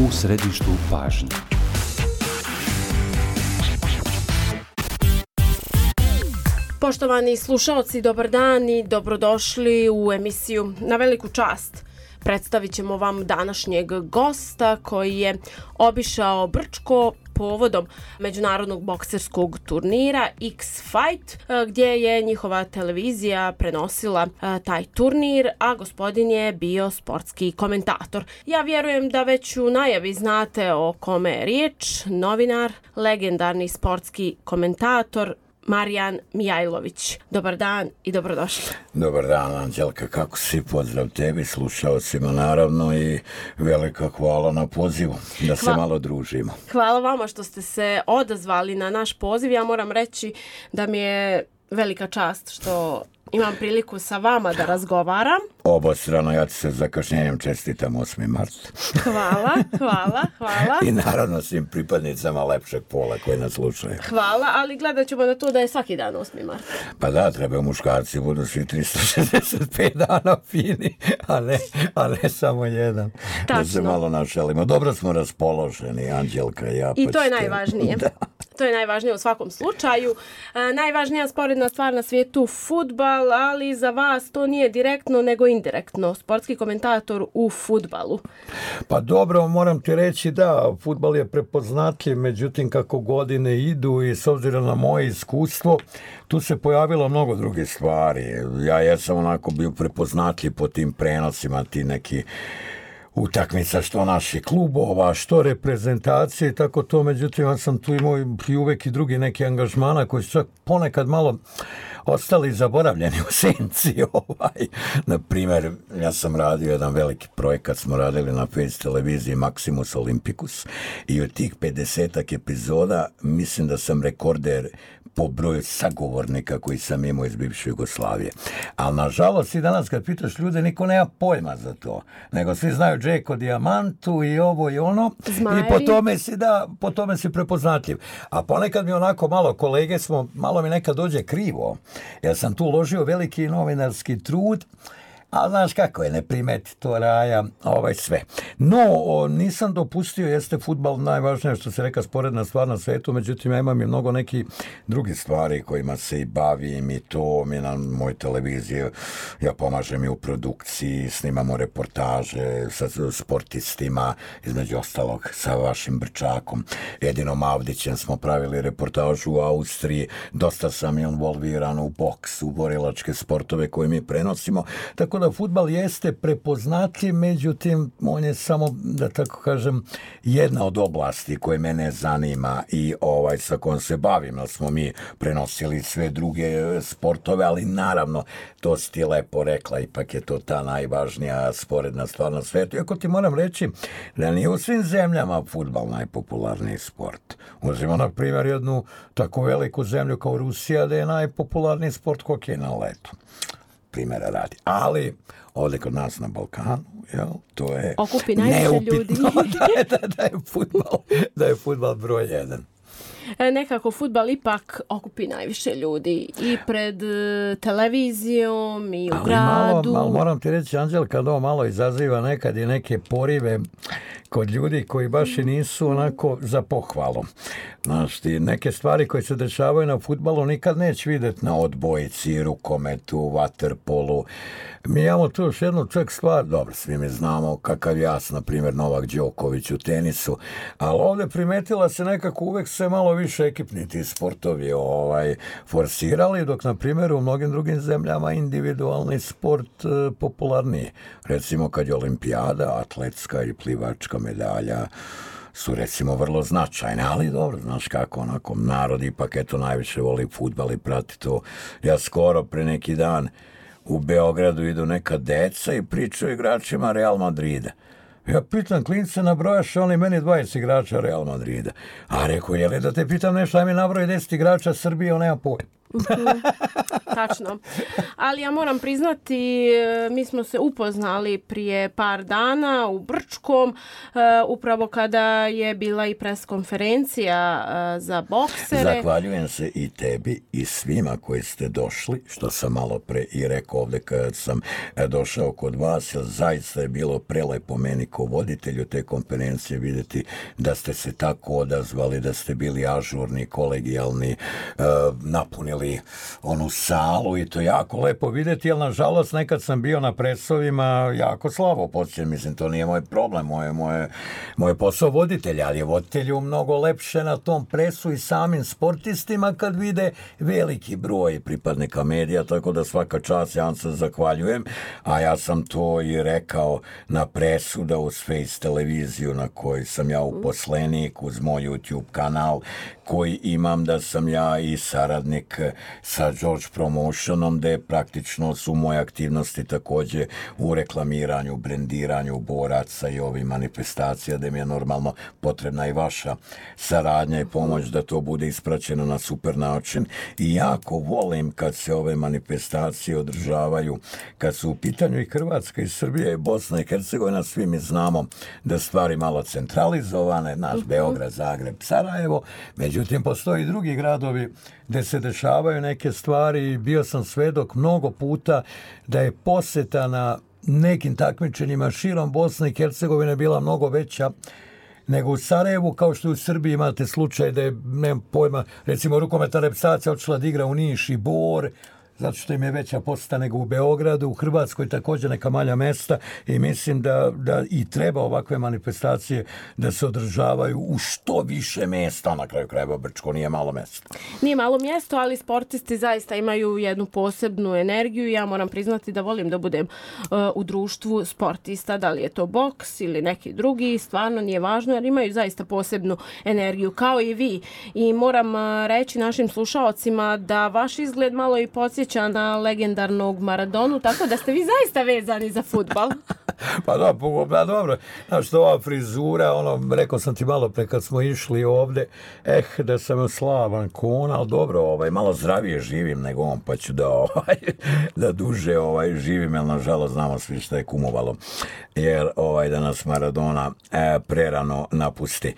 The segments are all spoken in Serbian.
u središtu pažnje. Poštovani slušaoci, dobar dan i dobrodošli u emisiju Na veliku čast. Predstavit ćemo vam današnjeg gosta koji je obišao Brčko povodom međunarodnog bokserskog turnira X-Fight, gdje je njihova televizija prenosila taj turnir, a gospodin je bio sportski komentator. Ja vjerujem da već u najavi znate o kome je riječ. Novinar, legendarni sportski komentator Marijan Mijajlović. Dobar dan i dobrodošli. Dobar dan, Anđelka, kako si? Pozdrav tebi, slušalcima naravno i velika hvala na pozivu da se malo družimo. Hvala vama što ste se odazvali na naš poziv. Ja moram reći da mi je velika čast što imam priliku sa vama da razgovaram. Obostrano, ja ti se zakašnjenjem čestitam 8. mart. Hvala. I naravno svim pripadnicama lepšeg pola koji nas slušaju. Hvala, ali gledat ćemo na to da je svaki dan 8. mart. Pa da, trebaju muškarci, budu svi 365 dana fini, a ne samo jedan. Tačno. Da se malo našalimo. Dobro smo raspoloženi, Anđelka i ja. I to je najvažnije. Da. To je najvažnije u svakom slučaju. Najvažnija sporedna stvar na svijetu fudbal, ali za vas to nije direktno nego indirektno. Sportski komentator u fudbalu. Pa dobro, moram ti reći da, fudbal je prepoznatljiv, međutim kako godine idu i s obzirom na moje iskustvo, tu se pojavilo mnogo drugih stvari. Ja jesam onako bio prepoznatljiv po tim prenosima, ti neki utakmica što naših klubova, što reprezentacije, tako to, međutim ja sam tu imao i uvek i drugi neki angažmana koji su čak ponekad malo ostali zaboravljeni u senci. Na primjer, ja sam radio jedan veliki projekat, smo radili na Face televiziji Maximus Olympicus i od tih 50 epizoda mislim da sam rekorder po broju sagovornika koji sam imao iz bivše Jugoslavije. Ali nažalost i danas kad pitaš ljude, niko nema pojma za to. Nego svi znaju Džeko Diamantu i ovo i ono. Zmajevi. I po tome si prepoznatljiv. A ponekad mi onako malo kolege malo mi nekad dođe krivo. Ja sam tu uložio veliki novinarski trud, a znaš kako je, ne primeti to raja, sve. No, nisam dopustio, jeste fudbal najvažnije što se reka sporedna stvar na svetu, međutim ja imam i mnogo nekih drugih stvari kojima se i bavim i to mi na moj televiziji, ja pomažem i u produkciji, snimamo reportaže sa sportistima, između ostalog sa vašim Brčakom, Edinom Avdićem smo pravili reportažu u Austriji, dosta sam involviran u boks, u borilačke sportove koje mi prenosimo, tako da fudbal jeste prepoznatljiv, međutim on je samo, da tako kažem, jedna od oblasti koje mene zanima i sa kojom se bavim, jer smo mi prenosili sve druge sportove, ali naravno to si ti lepo rekla, ipak je to ta najvažnija sporedna stvar na svetu. Iako ti moram reći da nije u svim zemljama fudbal najpopularniji sport. Uzmimo na primjer jednu tako veliku zemlju kao Rusija, da je najpopularniji sport hokej na ledu. Primjera radi. Ali ovdje kod nas na Balkanu, to je okupi najviše ljudi. da je fudbal broj 1. Nekako fudbal ipak okupi najviše ljudi i pred televizijom i u gradu. Malo moram ti reći, Anđelka, da ovo malo izaziva nekad i neke porive kod ljudi koji baš i nisu onako za pohvalu. Znaš, ti neke stvari koje se dešavaju na fudbalu nikad neće vidjeti na odbojci, rukometu, vaterpolu. Mi imamo tu još jednu čak stvar, dobro, svi mi znamo kakav jas, na primjer Novak Đoković u tenisu, ali ovdje primetila se nekako uvek se malo više ekipni ti sportovi forsirali, dok na primjer u mnogim drugim zemljama individualni sport popularniji. Recimo kad je olimpijada, atletska i plivačka medalja su recimo vrlo značajne, ali dobro, znaš kako, onako, narod ipak najviše voli fudbal i prati to. Ja skoro pre neki dan u Beogradu idu neka deca i pričaju igračima Real Madrida. Ja pitam klince, nabrojaš oni meni 20 igrača Real Madrida. A rekao, je li da te pitam nešto, aj mi nabroji 10 igrača Srbije, on nema pojma. Tačno. Ali ja moram priznati, mi smo se upoznali prije par dana u Brčkom, upravo kada je bila i preskonferencija za boksere. Zahvaljujem se i tebi i svima koji ste došli, što sam malo pre i rekao ovdje kad sam došao kod vas, jer zaista je bilo prelepo meni kao voditelju te konferencije vidjeti da ste se tako odazvali, da ste bili ažurni, kolegijalni, napunili onu salu i to jako lepo vidjeti, ali nažalost nekad sam bio na presovima jako slabo počinjen, mislim to nije moj problem, moj posao voditelja, ali je voditelju mnogo lepše na tom presu i samim sportistima kad vide veliki broj pripadnika medija, tako da svaka čast, ja vam se zahvaljujem, a ja sam to i rekao na presu da uz Face televiziju na kojoj sam ja uposlenik, uz moj YouTube kanal koji imam, da sam ja i saradnik sa George Promotionom, gde praktično su moje aktivnosti takođe u reklamiranju, brendiranju boraca i ovih manifestacija, gde mi je normalno potrebna i vaša saradnja i pomoć da to bude ispraćeno na super način. I jako volim kad se ove manifestacije održavaju, kad su u pitanju i Hrvatska i Srbija i Bosna i Hercegovina, svi mi znamo da stvari malo centralizovane, naš Beograd, Zagreb, Sarajevo, međutim postoji i drugi gradovi gde se dešavaju neke stvari. Bio sam svedok mnogo puta da je poseta na nekim takmičenjima širom Bosne i Hercegovine bila mnogo veća nego u Sarajevu, kao što u Srbiji imate slučaj da je, nemam pojma, recimo rukometna reprezentacija odšla da igra u Niš i Bor, zato što im je veća poseta nego u Beogradu, u Hrvatskoj također neka manja mesta i mislim da i treba ovakve manifestacije da se održavaju u što više mesta, na kraju krajeva Brčko nije malo mjesto. Nije malo mjesto, ali sportisti zaista imaju jednu posebnu energiju i ja moram priznati da volim da budem u društvu sportista, da li je to boks ili neki drugi, stvarno nije važno jer imaju zaista posebnu energiju kao i vi i moram reći našim slušaocima da vaš izgled malo i podsjeća na legendarnog Maradonu, tako da ste vi zaista vezani za fudbal. Pa dobro, znaš što ova frizura, rekao sam ti malo pre kad smo išli ovde, da sam slavan kon, ali dobro, malo zdravije živim nego on, pa ću da duže živim, jer nažalost znamo svi šta je kumovalo, jer da nas Maradona prerano napusti.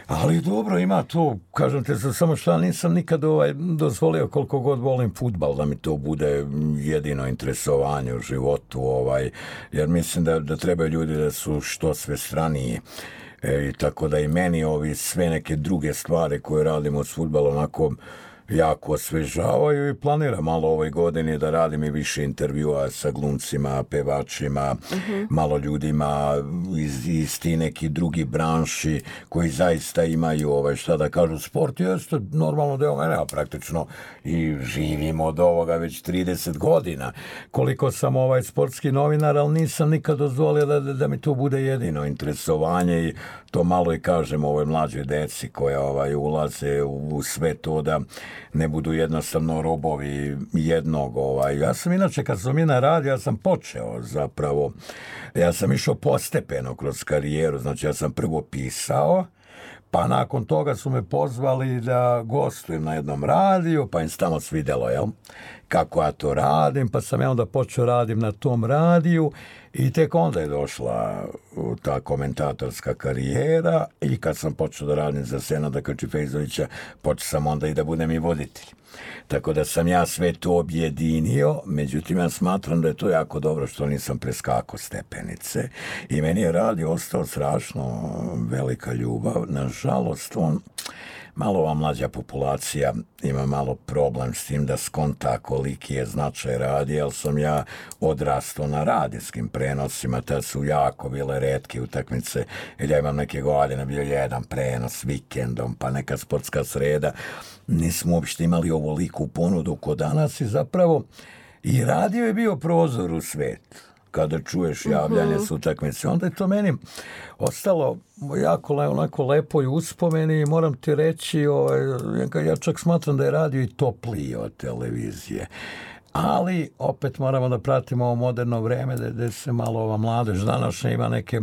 Ali dobro, ima to, kažem te, samo što nisam nikad dozvolio koliko god volim fudbal, da mi to bude jedino interesovanje u životu, jer mislim da trebaju ljudi da su što sve straniji. I tako da i meni ovi sve neke druge stvari koje radimo s fudbalom onako jako osvežavaju i planiram malo ovoj godini da radim i više intervjua sa glumcima, pevačima, malo ljudima iz ti neki drugi branši koji zaista imaju šta da kažu, sport jeste normalno deo mene, a praktično i živim od ovoga već 30 godina. Koliko sam sportski novinar, ali nisam nikad dozvolio da mi to bude jedino interesovanje i to malo i kažem ovoj mlađoj deci koja ulaze u sve to da ne budu jednostavno robovi jednog. Ja sam inače, kad sam na radiju, ja sam počeo zapravo, ja sam išao postepeno kroz karijeru, znači ja sam prvo pisao, pa nakon toga su me pozvali da gostujem na jednom radiju, pa im se tamo svidjelo, kako ja to radim, pa sam ja onda počeo radim na tom radiju i tek onda je došla ta komentatorska karijera i kad sam počeo da radim za Senada Krčifejzovića, počeo sam onda i da budem i voditelj. Tako da sam ja sve to objedinio, međutim ja smatram da je to jako dobro što nisam preskakao stepenice i meni je radio ostao strašno velika ljubav. Nažalost, malo ova mlađa populacija ima malo problem s tim da skonta koliki je značaj radija, ali sam ja odrastao na radijskim prenosima, tad su jako bile retke utakmice, jer ja imam neke godine, bio jedan prenos vikendom, pa neka sportska sreda, nismo uopšte imali ovoliku ponudu kod danas i zapravo i radio je bio prozor u svet. Kada čuješ javljanje s utakmice, onda je to meni ostalo jako onako lepo i uspomeni i moram ti reći, ja čak smatram da je radio i topliji od televizije. Ali opet moramo da pratimo ovo moderno vreme gde se malo ova mladež današnja ima neke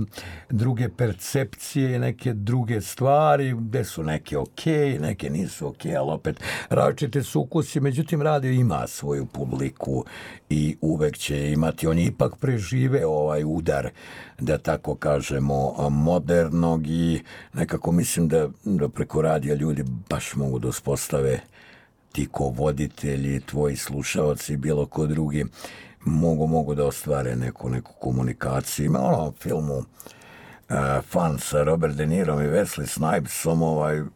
druge percepcije i neke druge stvari, gde su neke okej, neke nisu okej, ali opet različite su ukusi, međutim radio ima svoju publiku i uvek će imati, on je ipak prežive ovaj udar, da tako kažemo, modernog i nekako mislim da preko radija ljudi baš mogu da uspostave, ti ko voditelji, tvoji slušaoci, bilo ko drugi, mogu da ostvare neku komunikaciju. Ima filmu fan sa Robert De Nirom i Wesley Snipesom,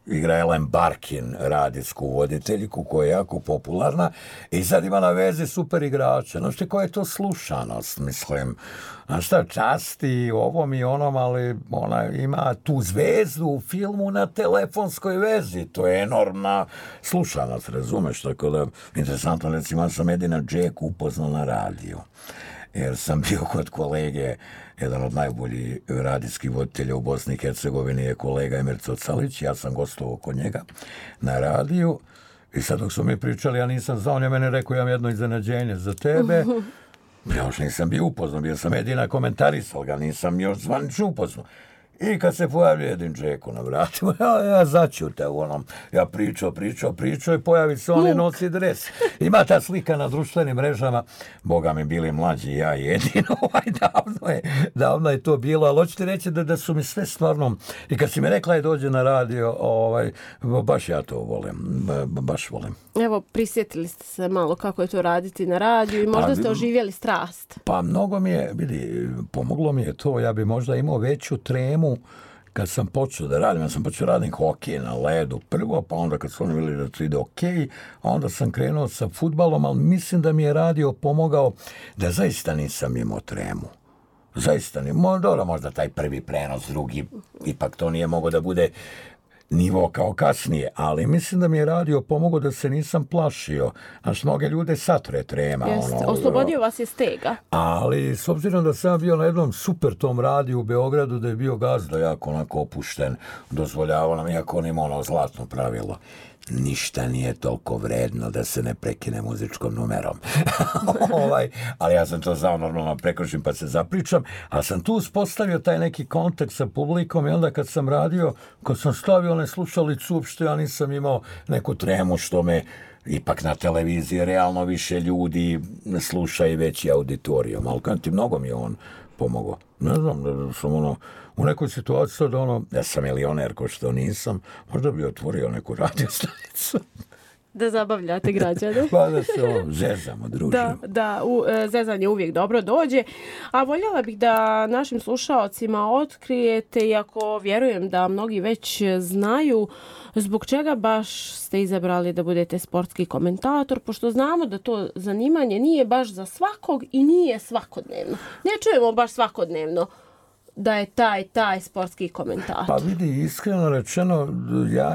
igra Ellen Barkin, radijsku voditeljku koja je jako popularna i sad ima na vezi super igrača. Znaš ti koja je to slušanost, mislim. Znaš šta, časti ovom i onom, ali ona ima tu zvezdu u filmu na telefonskoj vezi. To je enormna slušanost, razumeš? Tako da, interesantno, recimo, ja sam Edina Džeku upoznao na radiju. Jer sam bio kod kolege, jedan od najboljih radijskih voditelja u Bosni i Hercegovini je kolega Emir Cocalić, ja sam gostovao kod njega na radiju i sad dok su mi pričali, ja nisam znao, on je meni rekao, ja imam jedno iznenađenje za tebe. Ja još nisam bio upoznao, bio sam Edina komentarisal ga, nisam još zvanično upoznao. I kad se pojavio Edin Džeko na vratima, ja začutao u onom, ja pričao i pojavi se on i nosi dres. Ima ta slika na društvenim mrežama, Boga mi bili mlađi, ja i Edin, davno je to bilo, ali hoću ti reći da su mi sve stvarno, i kad si mi rekla je dođe na radio, baš ja to volim, baš volim. Evo, prisjetili ste se malo kako je to raditi na radiju i možda ste oživjeli strast. Pa mnogo mi je, vidi, pomoglo mi je to, ja bi možda imao veću tremu kad sam počeo da radim. Ja sam počeo radim hokej na ledu prvo, pa onda kad su oni vidjeli da to ide okej, onda sam krenuo sa fudbalom, ali mislim da mi je radio pomogao da zaista nisam imao tremu. Zaista nije. Dobro, možda taj prvi prenos, drugi, ipak to nije mogao da bude nivo kao kasnije, ali mislim da mi je radio pomogao da se nisam plašio. Znaš, mnoge ljude satre trema. Jeste, oslobodio vas je stega. Ali s obzirom da sam bio na jednom super tom radiju u Beogradu, da je bio gazda jako onako opušten, dozvoljavao nam, iako on ima ono zlatno pravilo. Ništa nije toliko vredno da se ne prekine muzičkom numerom. Ali ja sam to znao, normalno prekošim pa se zapričam, a sam tu uspostavio taj neki kontakt sa publikom i onda kad sam radio, kad sam stavio one slušalice uopšte, ja nisam imao neku tremu što me ipak na televiziji realno više ljudi sluša i veći auditorijum, ali kad ti mnogo mi je on pomogao. Ne znam, da sam u nekoj situaciji da ja sam milioner ko što nisam, možda bi otvorio neku radiostanicu. Da zabavljate građane. Pa da se zezamo, družimo. Da, zezanje uvijek dobro dođe. A voljela bih da našim slušaocima otkrijete, iako vjerujem da mnogi već znaju, zbog čega baš ste izabrali da budete sportski komentator, pošto znamo da to zanimanje nije baš za svakog i nije svakodnevno. Ne čujemo baš svakodnevno da je taj sportski komentator. Pa vidi, iskreno rečeno,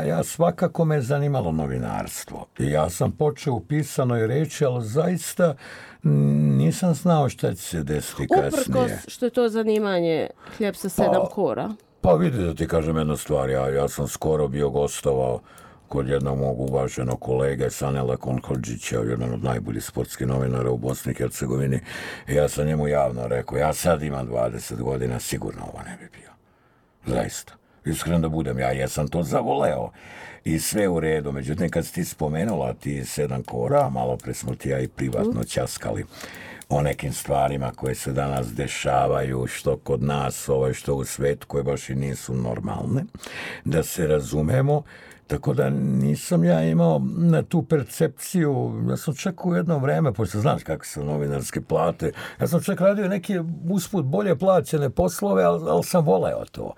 ja svakako me zanimalo novinarstvo. I ja sam počeo u pisanoj reči, ali zaista nisam znao šta će se desiti kasnije. Uprkos što je to zanimanje hljeb sa 7 kora. Pa vidi da ti kažem jednu stvar, ja sam skoro bio gostovao kod jednog mog uvaženog kolege Sanela Konhodžića, jedan od najboljih sportskih novinara u Bosni i Hercegovini. I ja sam njemu javno rekao, ja sad imam 20 godina, sigurno ovo ne bi bio. Zaista. Iskreno da budem, ja jesam to zavoleo. I sve u redu. Međutim, kad si ti spomenula ti 7 kora, malo pre smo ti ja i privatno ćaskali o nekim stvarima koje se danas dešavaju, što kod nas, što u svetu, koje baš i nisu normalne, da se razumemo. Tako da nisam ja imao na tu percepciju, ja sam čak u jedno vreme, pošto znaš kakve su novinarske plate, ja sam čak radio neke usput bolje plaćene poslove, ali sam voleo to.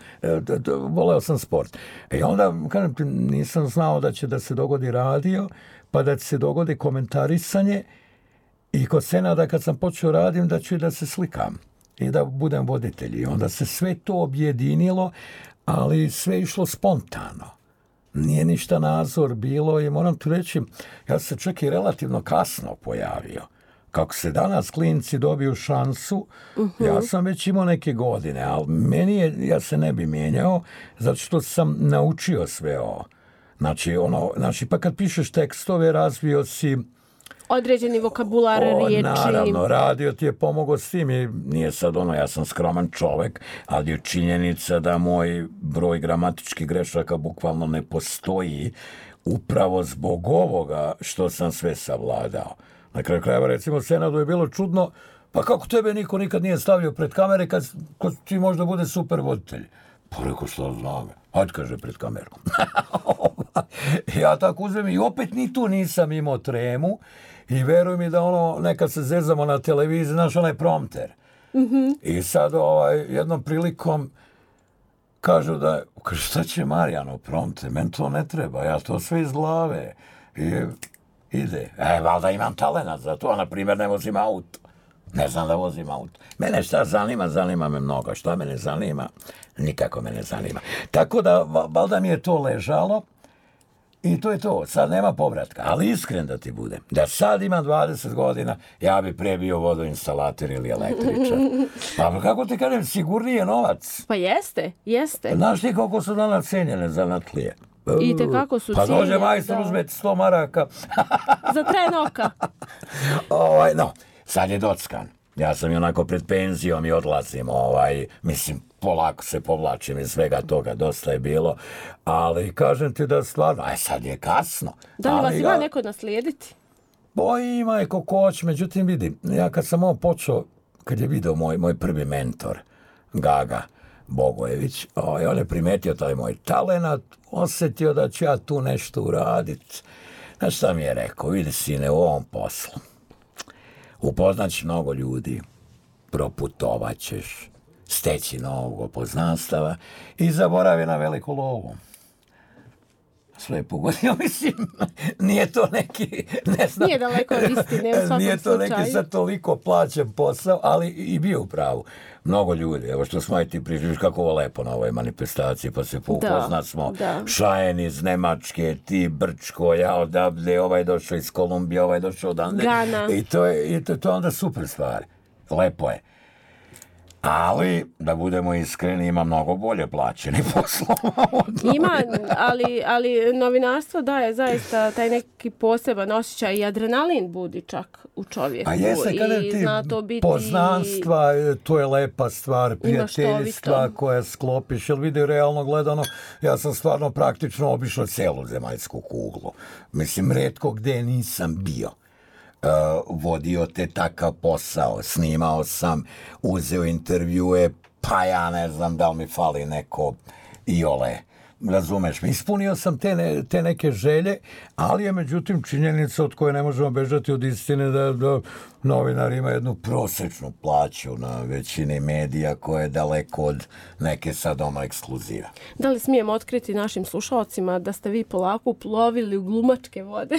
Voleo sam sport. I onda, kažem ti, nisam znao da će da se dogodi radio, pa da će se dogodi komentarisanje i kod Senada kad sam počeo radim da ću i da se slikam i da budem voditelj. I onda se sve to objedinilo, ali sve išlo spontano. Nije ništa nadzor bilo i moram ti reći, ja sam čak i relativno kasno pojavio. Kako se danas klinci dobiju šansu, ja sam već imao neke godine, ali ja se ne bi mijenjao, zato što sam naučio sve ovo. Znači, pa kad pišeš tekstove, razvio si određeni vokabular, riječi. Naravno, radio ti je pomogao s tim i nije sad ja sam skroman čovek, ali je činjenica da moj broj gramatičkih grešaka bukvalno ne postoji upravo zbog ovoga što sam sve savladao. Na kraju krajeva, recimo, Senadu je bilo čudno, pa kako tebe niko nikad nije stavio pred kamere kad ti možda bude super voditelj? Pa rekao, što znam, hajde, kaže, pred kamerom. Ja tako uzmem i opet ni tu nisam imao tremu i veruj mi da nekad se zezamo na televiziji, znaš, onaj prompter. I sad jednom prilikom kažu da, šta će Marijano prompte, meni to ne treba, ja to sve iz glave. I ide. Valjda imam talenat za to, na primjer ne vozim auto. Ne znam da vozim auto. Mene šta zanima me mnogo. Šta me ne zanima? Nikako me ne zanima. Tako da, valjda mi je to ležalo i to je to. Sad nema povratka. Ali iskren da ti budem. Da sad imam 20 godina, ja bi pre bio vodoinstalater ili električar. Pa kako ti kažem, sigurnije novac. Pa jeste. Znaš ti koliko su danas cenjene zanatlije? I tekako su cijene. Pa dođe majstor, uzmeti 100 maraka. Za tren oka. No, sad je dockan. Ja sam i onako pred penzijom i odlazim, mislim, polako se povlačim iz svega toga, dosta je bilo, ali kažem ti da stvarno, sad je kasno. Da li vas ima neko naslijediti? Ima je kokoć, međutim vidim, ja kad sam ovo počeo, kad je video moj prvi mentor, Gaga Bogojević, on je primetio taj moj talenat, osjetio da ću ja tu nešto uraditi. Znaš šta mi je rekao, vidi sine, u ovom poslu upoznaćeš mnogo ljudi, proputovat ćeš, steći novog poznanstava i zaboravi na veliku lovu. Sve je pogodio, mislim, nije to neki, ne znam. Nije daleko od istine, u svakom slučaju. Nije to neki sad toliko plaćen posao, ali i bio u pravu. Mnogo ljudi, evo što smo ti priživiš kako ovo lepo na ovoj manifestaciji, pa se upoznat smo. Šajen iz Nemačke, ti Brčko, ja odavde, ovaj došao iz Kolumbije, ovaj došao odavde. Gana. I to je onda super stvar. Lepo je. Ali, da budemo iskreni, ima mnogo bolje plaćeni poslova. Ima, ali novinarstvo daje zaista taj neki poseban osjećaj i adrenalin budi čak u čovjeku. A jeste, kada ti poznanstva, to je lepa stvar, prijateljstva koja sklopiš. Jel vidi, realno gledano, ja sam stvarno praktično obišao celu zemaljsku kuglu. Mislim, retko gde nisam bio. Vodio te takav posao, snimao sam, uzeo intervjue, pa ja ne znam da li mi fali neko iole, razumeš me, ispunio sam te neke želje, ali je međutim činjenica od koje ne možemo bežati od istine da novinar ima jednu prosečnu plaću na većini medija koja je daleko od neke sad ekskluziva. Da li smijem otkriti našim slušalcima da ste vi polako plovili u glumačke vode?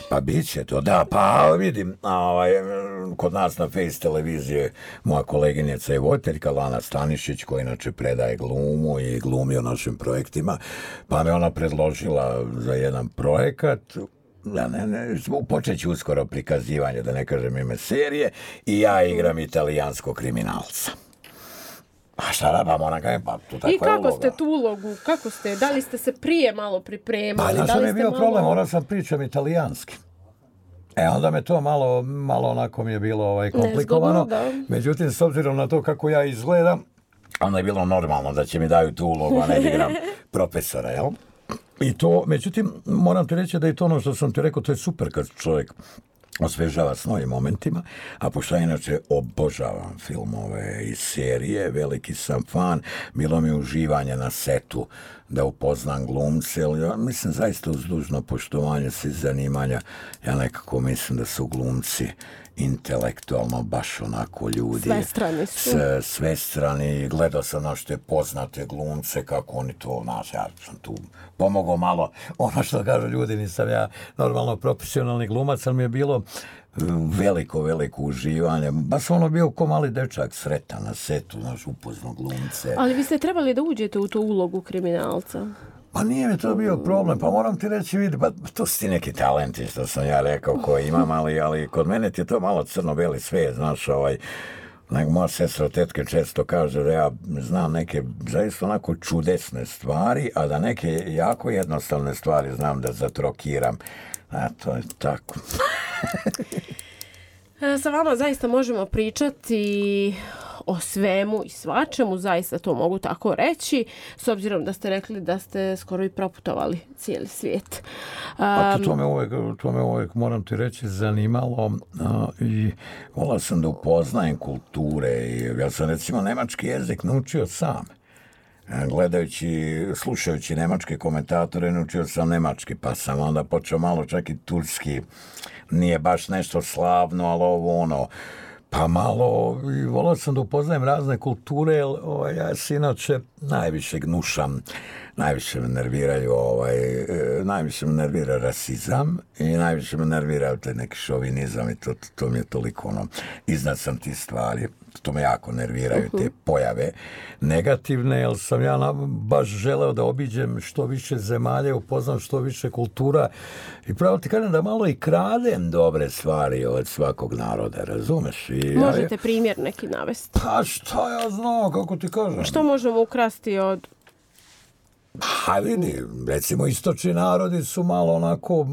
Pa bit će to, da, pa vidim, kod nas na Face televizije moja koleginica je voditeljka Lana Stanišić, koja inače predaje glumu i glumi o našim projektima, pa me ona predložila za jedan projekat, počet ću uskoro prikazivanje, da ne kažem ime serije, i ja igram italijanskog kriminalca. A šta da, pa moram kajem, pa tu takva je uloga. I kako ste tu ulogu, da li ste se prije malo pripremali? Pa znaš mi je bio problem, morao sam pričam italijanski. Onda me to malo onako mi je bilo komplikovano. Međutim, s obzirom na to kako ja izgledam, onda je bilo normalno da će mi daju tu ulogu, a ne da igram profesora, jel? I to, međutim, moram ti reći da je to ono što sam ti rekao, to je super kad čovjek osvežava s novim momentima, a pošto ja inače obožavam filmove i serije, veliki sam fan, bilo mi uživanje na setu da upoznam glumce, ali ja mislim zaista uz dužno poštovanje svih zanimanja, ja nekako mislim da su glumci intelektualno baš onako ljudi. Svestrani su. Svestrani, gledao sam našte poznate glumce, kako oni to, ja sam tu pomogao malo, ono što kažu ljudi, nisam ja normalno profesionalni glumac, ali mi je bilo veliko uživanje. Baš ono bio ko mali dečak, sretan na setu, upoznao glumce. Ali vi ste trebali da uđete u tu ulogu kriminalca? Pa nije mi to bio problem, pa moram ti reći, vidi, pa to su ti neki talenti, što sam ja rekao, koje imam, ali kod mene ti je to malo crno-beli svijet, znaš, moja sestra od tetke često kaže da ja znam neke zaista onako čudesne stvari, a da neke jako jednostavne stvari znam da zatrokiram. A to je tako. Sa vama zaista možemo pričati o svemu i svačemu, zaista to mogu tako reći, s obzirom da ste rekli da ste skoro i proputovali cijeli svijet. To me uvijek, moram ti reći, zanimalo i volao sam da upoznajem kulture i ja sam recimo nemački jezik naučio sam. Slušajući nemačke komentatore, naučio sam nemački, pa sam onda počeo malo čak i turski. Nije baš nešto slavno, ali Pa malo, i volao sam da upoznajem razne kulture, jer ja se inače najviše gnušam, najviše me nerviraju, najviše me nervira rasizam i najviše me nervira taj neki šovinizam i to mi je toliko iznad sam ti stvari. To me jako nerviraju, te pojave negativne, jer sam ja baš želeo da obiđem što više zemalja, upoznam što više kultura i pravo ti kažem da malo i kradem dobre stvari od svakog naroda, razumeš? Možete primjer neki navesti? Pa šta ja znam, kako ti kažem? Što možemo ukrasti od... Pa vidi, recimo istočni narodi su malo onako...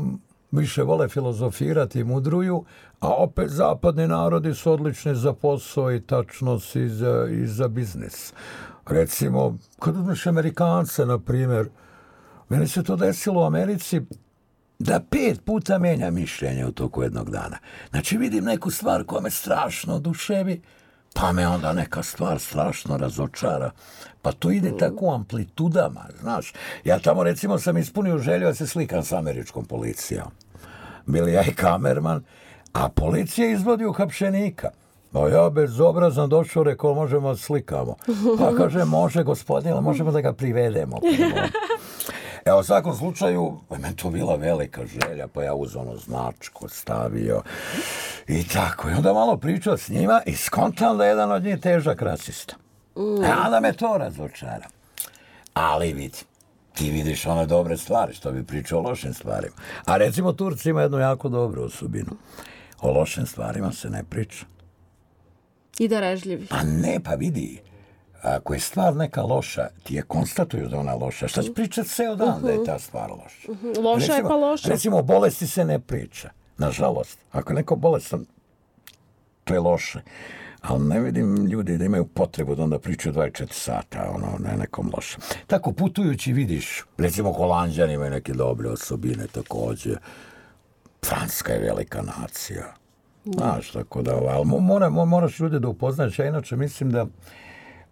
više vole filozofirati i mudruju, a opet zapadni narodi su odlični za posao i tačnost i za biznis. Recimo, kad uzmeš Amerikance, na primjer, meni se to desilo u Americi da 5 puta menja mišljenje u toku jednog dana. Znači, vidim neku stvar koja me strašno oduševi, pa me onda neka stvar strašno razočara. Pa to ide tako u amplitudama, znaš. Ja tamo, recimo, sam ispunio želju da se slikam s američkom policijom. Bili ja i kamerman, a policija izvodi uhapšenika. No ja bezobrazno došao, rekao, možemo slikamo. Pa kaže, može gospodine, možemo da ga privedemo. Evo, u svakom slučaju, meni to bila velika želja, pa ja uzeo značku, stavio i tako. I onda malo pričao s njima i skontam da je jedan od njih težak rasista. A onda me to razočara. Ali vidi, ti vidiš one dobre stvari, što bi pričao o lošim stvarima. A recimo Turci ima jednu jako dobru osobinu. O lošim stvarima se ne priča. I darežljivi. Pa ne, pa vidi, ako je stvar neka loša, ti je konstatuju da ona loša. Šta će pričati ceo dan da je ta stvar loša? Loša je pa loša. Recimo, o bolesti se ne priča. Nažalost, ako je neko bolestan, to je loše. Ali ne vidim ljudi da imaju potrebu da onda pričaju 24 sata, na nekom lošem. Tako putujući vidiš, recimo Holanđani imaju neke dobre osobine također. Francuska je velika nacija. Znaš, tako da, ali moraš ljude da upoznaš. Ja inače mislim da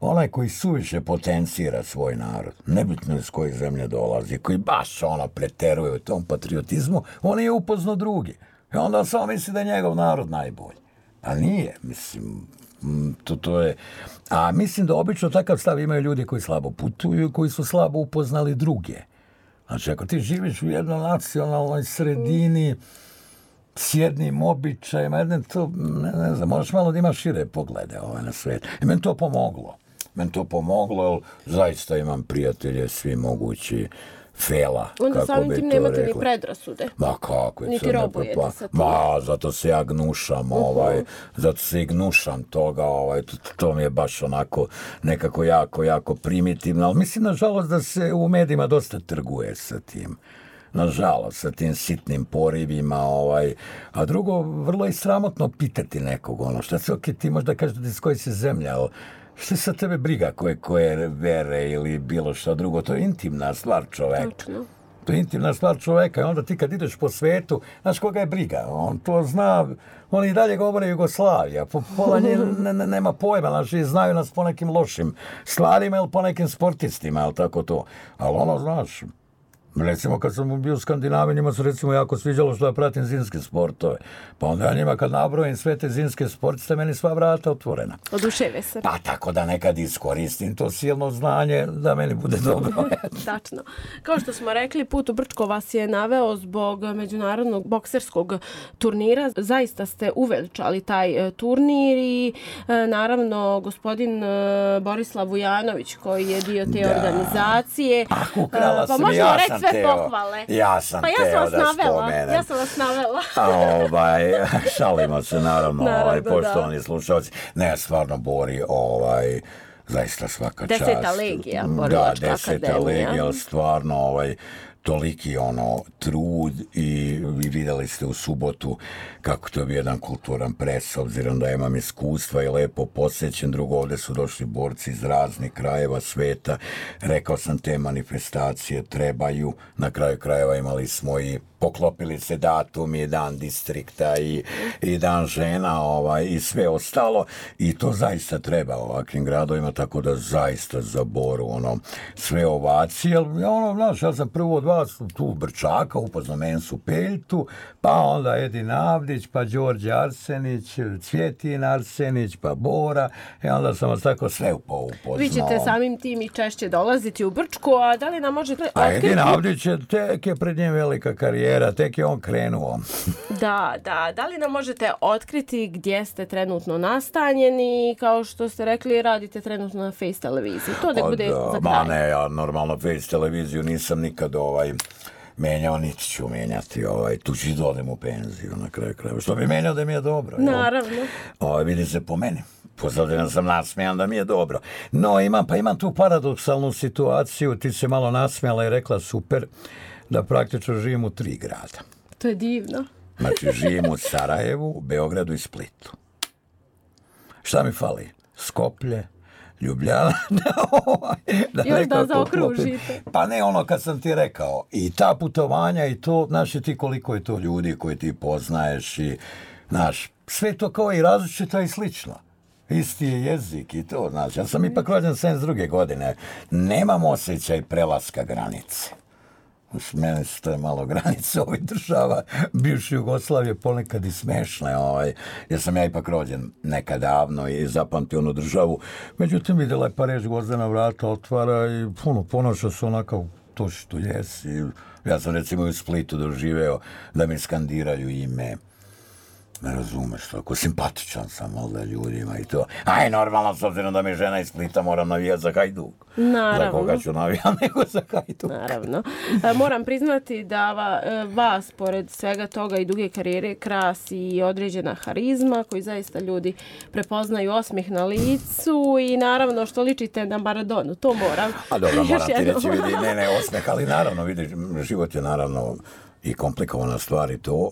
onaj koji suviše potencira svoj narod, nebitno iz koje zemlje dolazi, koji baš preteruje u tom patriotizmu, on je upoznao drugi. I onda on samo misli da je njegov narod najbolji. A nije, mislim, to je... A mislim da obično takav stav imaju ljudi koji slabo putuju, koji su slabo upoznali druge. Znači, ako ti živiš u jednoj nacionalnoj sredini s jednim običajima, ne znam, moraš malo da imaš šire poglede na svijet. I meni to pomoglo. Jer zaista imam prijatelje svi mogući fela. Onda samim tim nemate ni predrasude. Ma kako je. Niti robujete sa tim. Ma, zato se ja gnušam, zato se i gnušam toga, to mi je baš onako nekako jako primitivno, ali mislim nažalost da se u medijima dosta trguje sa tim. Nažalost, sa tim sitnim porivima, a drugo, vrlo je sramotno pitati nekog, šta se, ti možda kažeš da iz koje si zemlja, ali što je sa tebe briga koje vere ili bilo što drugo, to je intimna stvar čoveka. Točno. To je intimna stvar čoveka i onda ti kad ideš po svetu, znaš koga je briga, on to zna, oni i dalje govore Jugoslavija, pola njih nema pojma, znači znaju nas po nekim lošim stvarima ili po nekim sportistima, ili tako to, ali znaš, recimo kad sam bio u Skandinaviji, njima su recimo jako sviđalo što ja pratim zimske sportove. Pa onda ja njima kad nabrojim sve te zimske sportiste, meni sva vrata otvorena. Oduševe se. Pa tako da nekad iskoristim to silno znanje da meni bude dobro. Tačno. Kao što smo rekli, put u Brčko vas je naveo zbog međunarodnog bokserskog turnira. Zaista ste uveličali taj turnir i naravno gospodin Borislav Vujanović koji je dio te organizacije. Ukrala sam i ja sam sve pohvale. Ja sam teo da spomenem. Ja sam vas navela. Šalimo se naravno poštovani slušalci. Ne, stvarno Bori, zaista svaka čast. 10. legija, Borilačka akademija. Da, 10. legija, stvarno toliki trud i vidjeli ste u subotu kako to je jedan kulturan pres, obzirom da imam iskustva i lepo posjećen. Drugo, ovdje su došli borci iz raznih krajeva sveta. Rekao sam, te manifestacije trebaju. Na kraju krajeva imali smo i poklopili se datumi, dan distrikta i dan žena i sve ostalo. I to zaista treba ovakvim gradovima, tako da zaista za Boru sve ovacije. Znaš, ja sam prvo od vas ja sam tu Brčaka, upoznao Mensu Peljtu, pa onda Edin Avdić, pa Đorđe Arsenić, Cvjetin Arsenić, pa Bora, i onda sam vas tako sve upoznao. Vi ćete samim tim i češće dolaziti u Brčku, a da li nam možete otkriti? A Edin Avdić tek je pred njim velika karijera, tek je on krenuo. Da li nam možete otkriti gdje ste trenutno nastanjeni, kao što ste rekli, radite trenutno na Face televiziji. To da bude za kraj. Ma ne, ja normalno Face televiziju nisam nikad menjao, niti ću menjati. Tu ću da odem u penziju na kraju krajeva. Što bi menjao da mi je dobro. Naravno. Vidi se po meni. Pozadina sam nasmijan da mi je dobro. No, imam tu paradoksalnu situaciju. Ti se malo nasmijala i rekla super da praktično živim u 3 grada. To je divno. Znači, živim u Sarajevu, Beogradu i Splitu. Šta mi fali? Skoplje, Ljubljana, još da zaokružite. Pa ne ono kad sam ti rekao, i ta putovanja i to, znaš ti koliko je to ljudi koje ti poznaješ i, znaš, sve to kao i različito i slično. Isti je jezik i to, znači, ja sam ipak rođen 72. godine, nemam osjećaj prelaska granice. Meni su to malo granice ovih država, bivše Jugoslavije, ponekad i smešne, jer sam ja ipak rođen nekad davno i zapamtio onu državu. Međutim, vidjela je Pariz, Gvozdena vrata otvara i ponaša se onako to što jesi. Ja sam recimo u Splitu doživeo da mi skandiraju ime. Ne razumeš to, ako simpatičan sam možda ljudima i to. Aj, normalno, s obzirom da mi žena iz Splita, moram navijati za Hajduk. Naravno. Za koga ću navijati, nego za Hajduk. Naravno. Moram priznati da vas, pored svega toga i duge karijere, krasi i određena harizma, koji zaista ljudi prepoznaju osmijeh na licu i naravno što ličite na Maradonu, to moram. A dobro, moram ti reći, vidi, ne osmijeh, ali naravno, vidi, život je naravno i komplikovana stvar i to,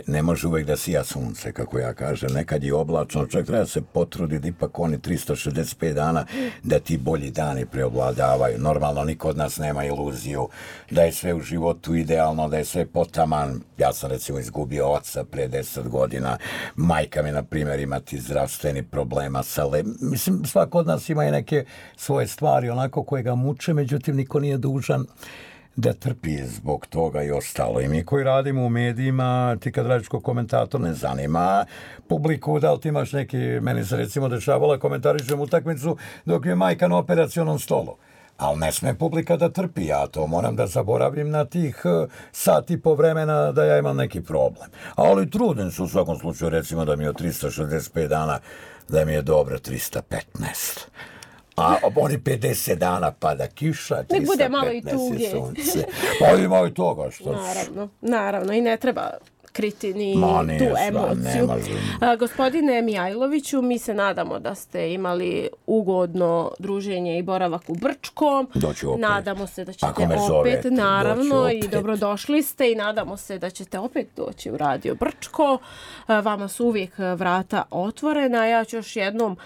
ne može uvijek da sija sunce, kako ja kažem, nekad je oblačno, čak treba se potruditi ipak oni 365 dana da ti bolji dani preovladavaju. Normalno, niko od nas nema iluziju da je sve u životu idealno, da je sve potaman. Ja sam recimo izgubio oca pre 10 godina, majka mi, na primjer, imati zdravstveni problema mislim, svako od nas ima i neke svoje stvari onako koje ga muče, međutim, niko nije dužan da trpi zbog toga i ostalo. I mi koji radimo u medijima, ti kad radiš kao komentator, ne zanima publiku, da li ti imaš neki, meni se recimo dešavala, komentarišem utakmicu dok je majka na operacionom stolu. Ali ne sme publika da trpi, ja to moram da zaboravim na tih sat i po vremena da ja imam neki problem. Ali trudim se u svakom slučaju, recimo da mi je od 365 dana, da mi je dobro 315. A oni 50 dana pada kiša, 315 nek bude malo i tuge. Sunce. Pa ima i toga što... Naravno, i ne treba kriti ni tu emociju. Gospodine Mijajloviću, mi se nadamo da ste imali ugodno druženje i boravak u Brčkom. Doću opet. Nadamo se da ćete opet, naravno, i dobrodošli ste i nadamo se da ćete opet doći u Radio Brčko. Vama su uvijek vrata otvorena. Ja ću još jednom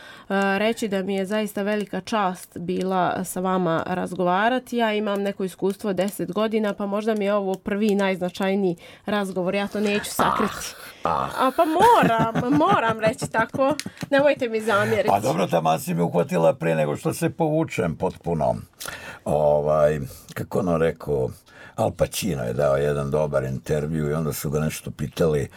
reći da mi je zaista velika čast bila sa vama razgovarati. Ja imam neko iskustvo 10 godina, pa možda mi je ovo prvi najznačajniji razgovor. Ja to neću sakriti. Pa moram reći tako. Nemojte mi zamjeriti. Pa dobro, tamo si mi uhvatila pre nego što se povučem potpuno. Kako ono rekao, Al Pacino je dao jedan dobar intervju i onda su ga nešto pitali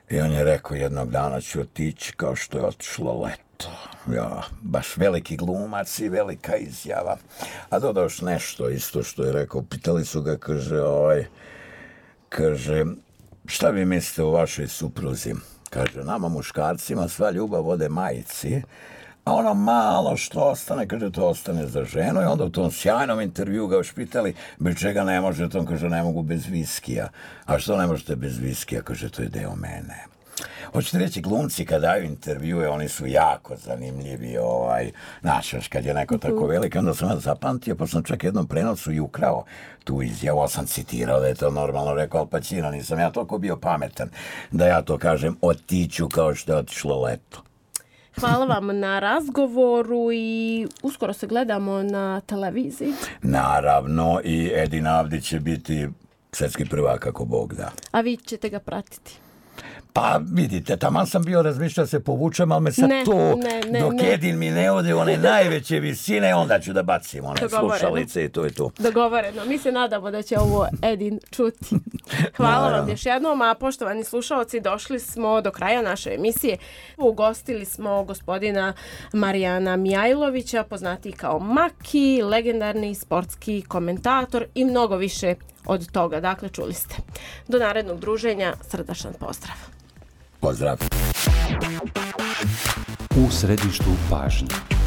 i on je rekao jednog dana ću otići kao što je otišlo leto. Ja, baš veliki glumac i velika izjava. A dodao još nešto isto što je rekao. Pitali su ga, kaže, šta vi mislite o vašoj supruzi? Kaže, nama muškarcima sva ljubav ode majici, a ono malo što ostane, kaže, to ostane za ženu. I onda u tom sjajnom intervju ga još pitali, bez čega ne možete? On kaže, ne mogu bez viskija. A što ne možete bez viskija? Kaže, to je deo mene. Hoćete reći, glumci kad daju intervjue, oni su jako zanimljivi, znaš, kad je neko tako velik, onda sam vas zapamtio, pa sam čak jednom prenosu i ukrao tu izjavu, sam citirao da je to normalno rekao Al Pacino, nisam ja toliko bio pametan da ja to kažem, otiću kao što je otišlo leto. Hvala vam na razgovoru i uskoro se gledamo na televiziji. Naravno, i Edin Avdić će biti svjetski prvak ako Bog da. A vi ćete ga pratiti? Pa vidite, taman sam bio razmišljao se povučem, ali me sad dok Edin mi ne ode one najveće visine, onda ću da bacim one slušalice i to je to. Dogovoreno. Mi se nadamo da će ovo Edin čuti. Hvala vam još jednom, a poštovani slušalci, došli smo do kraja naše emisije. Ugostili smo gospodina Marijana Mijajlovića, poznatiji kao Maki, legendarni sportski komentator i mnogo više od toga. Dakle, čuli ste. Do narednog druženja, srdačan pozdrav. Pozdrav. U središtu pažnje.